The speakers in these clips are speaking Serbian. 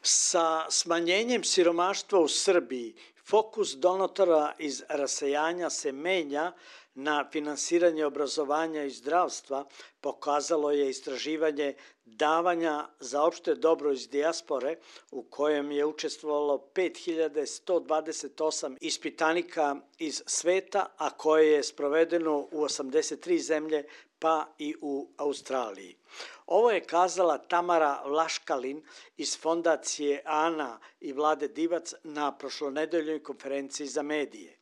Sa smanjenjem siromaštva u Srbiji, fokus donatora iz rasejanja se menja na finansiranje obrazovanja i zdravstva, pokazalo je istraživanje davanja za opšte dobro iz dijaspore u kojem je učestvovalo 5128 ispitanika iz sveta, a koje je sprovedeno u 83 zemlje pa i u Australiji. Ovo je kazala Tamara Vlaškalin iz fondacije Ana i Vlade Divac na prošlonedeljnoj konferenciji za medije.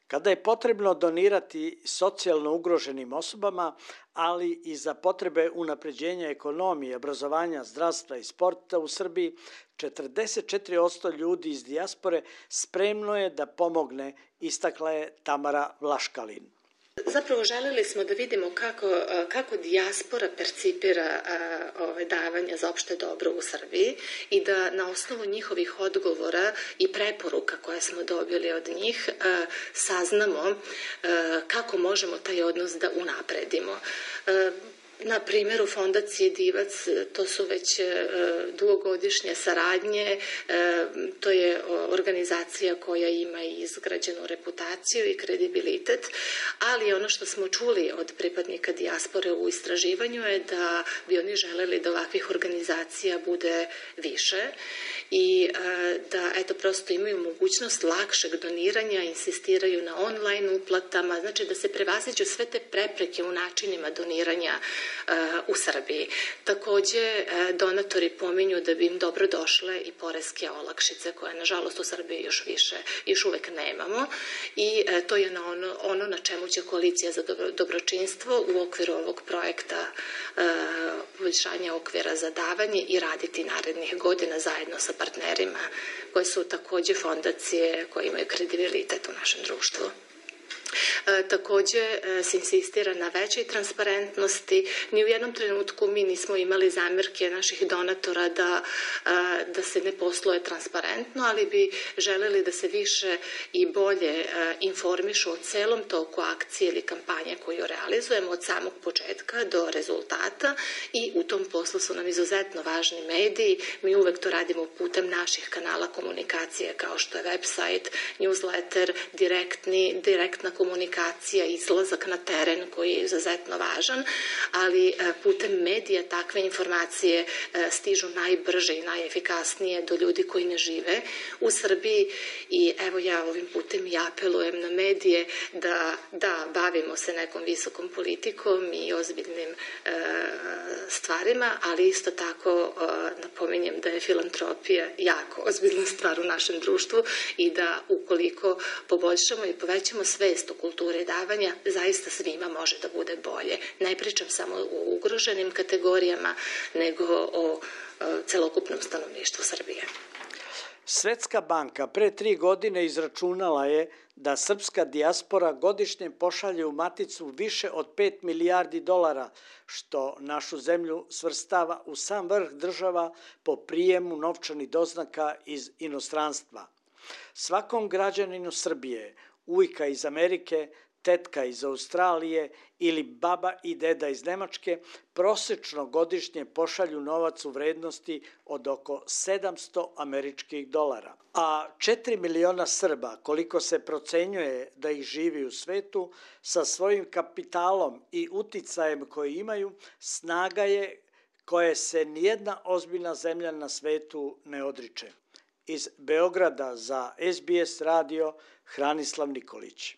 Kada je potrebno donirati socijalno ugroženim osobama, ali i za potrebe unapređenja ekonomije, obrazovanja, zdravstva i sporta u Srbiji, 44% ljudi iz dijaspore spremno je da pomogne, istakla je Tamara Vlaškalin. Zapravo želeli smo da vidimo kako dijaspora percipira davanja za opšte dobro u Srbiji i da na osnovu njihovih odgovora i preporuka koje smo dobili od njih saznamo kako možemo taj odnos da unapredimo. Na primjeru fondacije Divac, to su već dugogodišnje saradnje, to je organizacija koja ima izgrađenu reputaciju i kredibilitet, ali ono što smo čuli od pripadnika dijaspore u istraživanju je da bi oni želeli da ovakvih organizacija bude više i da prosto imaju mogućnost lakšeg doniranja, insistiraju na online uplatama, znači da se prevaziđu sve te prepreke u načinima doniranja u Srbiji. Takođe, donatori pominju da bi im dobro došle i poreske olakšice koje, nažalost, u Srbiji još uvek nemamo i to je ono na čemu će Koalicija za dobročinstvo u okviru ovog projekta poboljšanja okvira za davanje i raditi narednih godina zajedno sa partnerima koje su takođe fondacije koje imaju kredibilitet u našem društvu. Takođe se insistira na većoj transparentnosti. Ni u jednom trenutku mi nismo imali zamerke naših donatora da se ne posluje transparentno, ali bi želeli da se više i bolje informišu o celom toku akcije ili kampanje koju realizujemo od samog početka do rezultata i u tom poslu su nam izuzetno važni mediji. Mi uvek to radimo putem naših kanala komunikacije kao što je website, newsletter, direktna komunikacija, izlazak na teren koji je izuzetno važan, ali putem medija takve informacije stižu najbrže i najefikasnije do ljudi koji ne žive u Srbiji i evo ja ovim putem i apelujem na medije da bavimo se nekom visokom politikom i ozbiljnim stvarima, ali isto tako napominjem da je filantropija jako ozbiljna stvar u našem društvu i da ukoliko poboljšamo i povećamo svest o kulturi davanja, zaista svima može da bude bolje. Ne pričam samo o ugroženim kategorijama, nego o celokupnom stanovništvu Srbije. Svetska banka pre 3 godine izračunala je da srpska dijaspora godišnje pošalje u maticu više od 5 milijardi dolara, što našu zemlju svrstava u sam vrh država po prijemu novčanih doznaka iz inostranstva. Svakom građaninu Srbije, ujka iz Amerike, tetka iz Australije ili baba i deda iz Nemačke prosečno godišnje pošalju novac u vrednosti od oko 700 američkih dolara. A 4 miliona Srba, koliko se procenjuje da ih živi u svetu, sa svojim kapitalom i uticajem koji imaju, snaga je koje se nijedna ozbiljna zemlja na svetu ne odriče. Iz Beograda za SBS radio Hranislav Nikolić.